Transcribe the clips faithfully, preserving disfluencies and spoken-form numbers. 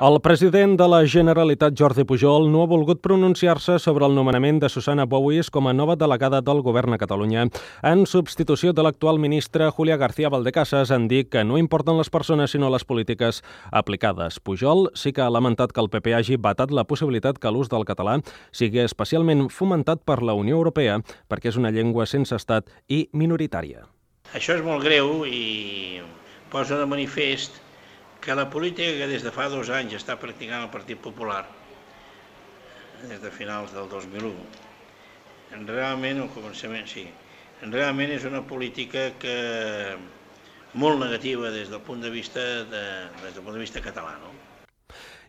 El president de la Generalitat, Jordi Pujol, no ha volgut pronunciar-se sobre el nomenament de Susana Bouis com a nova delegada del Govern a Catalunya. En substitució de l'actual ministra Julia García Valdecasas, han dit que no importen les persones sinó les polítiques aplicades. Pujol sí que ha lamentat que el P P hagi vetat la possibilitat que l'ús del català sigui especialment fomentat per la Unió Europea perquè és una llengua sense estat i minoritària. Això és molt greu i posa de manifest que la política que des de fa dos anys està practicant el Partit Popular, des de finals del dos mil u, realment, al començament, sí, realment és una política que molt negativa des del punt de vista, de, des del punt de vista català, no?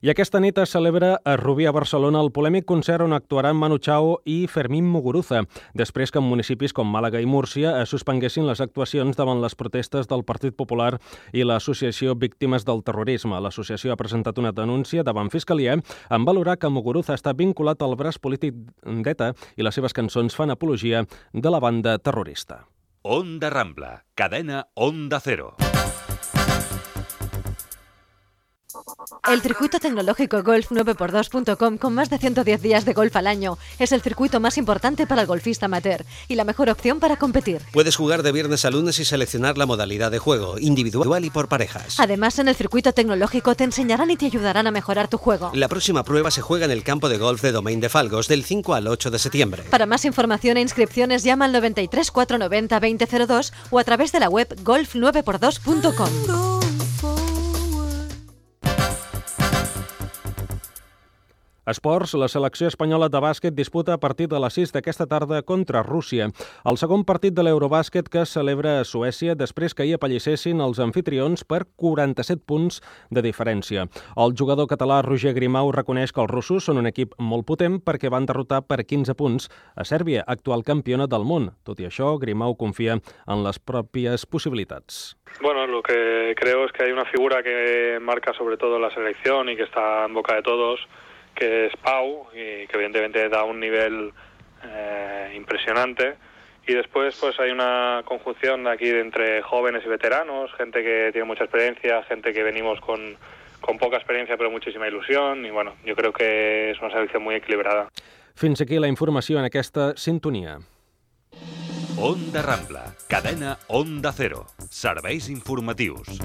I aquesta nit es celebra a Rubí, a Barcelona, el polèmic concert on actuaran Manu Chao i Fermín Muguruza, després que en municipis com Màlaga i Múrcia es suspenguessin les actuacions davant les protestes del Partit Popular i l'Associació Víctimes del Terrorisme. L'associació ha presentat una denúncia davant Fiscalia en valorar que Muguruza està vinculat al braç polític d'ETA i les seves cançons fan apologia de la banda terrorista. Onda Rambla, cadena Onda Cero. El circuito tecnológico golf nueve por dos punto com, con más de ciento diez días de golf al año, es el circuito más importante para el golfista amateur y la mejor opción para competir. Puedes jugar de viernes a lunes y seleccionar la modalidad de juego, individual y por parejas. Además, en el circuito tecnológico te enseñarán y te ayudarán a mejorar tu juego. La próxima prueba se juega en el campo de golf de Domain de Falgos del cinco al ocho de septiembre. Para más información e inscripciones llama al noventa y tres, cuatrocientos noventa, veinte cero dos o a través de la web golf nueve por dos punto com. Esports, la selecció espanyola de bàsquet disputa a partir de les sis d'aquesta tarda contra Rússia. El segon partit de l'Eurobàsquet que es celebra a Suècia després que hi apallissessin els anfitrions per quaranta-set punts de diferència. El jugador català Roger Grimau reconeix que els russos són un equip molt potent perquè van derrotar per quinze punts a Sèrbia, actual campiona del món. Tot i això, Grimau confia en les pròpies possibilitats. Bueno, lo que creo es que hay una figura que marca sobre todo la selección y que está en boca de todos, que es Pau, y que evidentemente da un nivel eh, impresionante. Y después pues hay una conjunción aquí entre jóvenes y veteranos, gente que tiene mucha experiencia, gente que venimos con, con poca experiencia pero muchísima ilusión, y bueno, yo creo que es una selección muy equilibrada. Fins aquí la informació en aquesta sintonia. Onda Rambla, cadena Onda Cero, serveis informatius.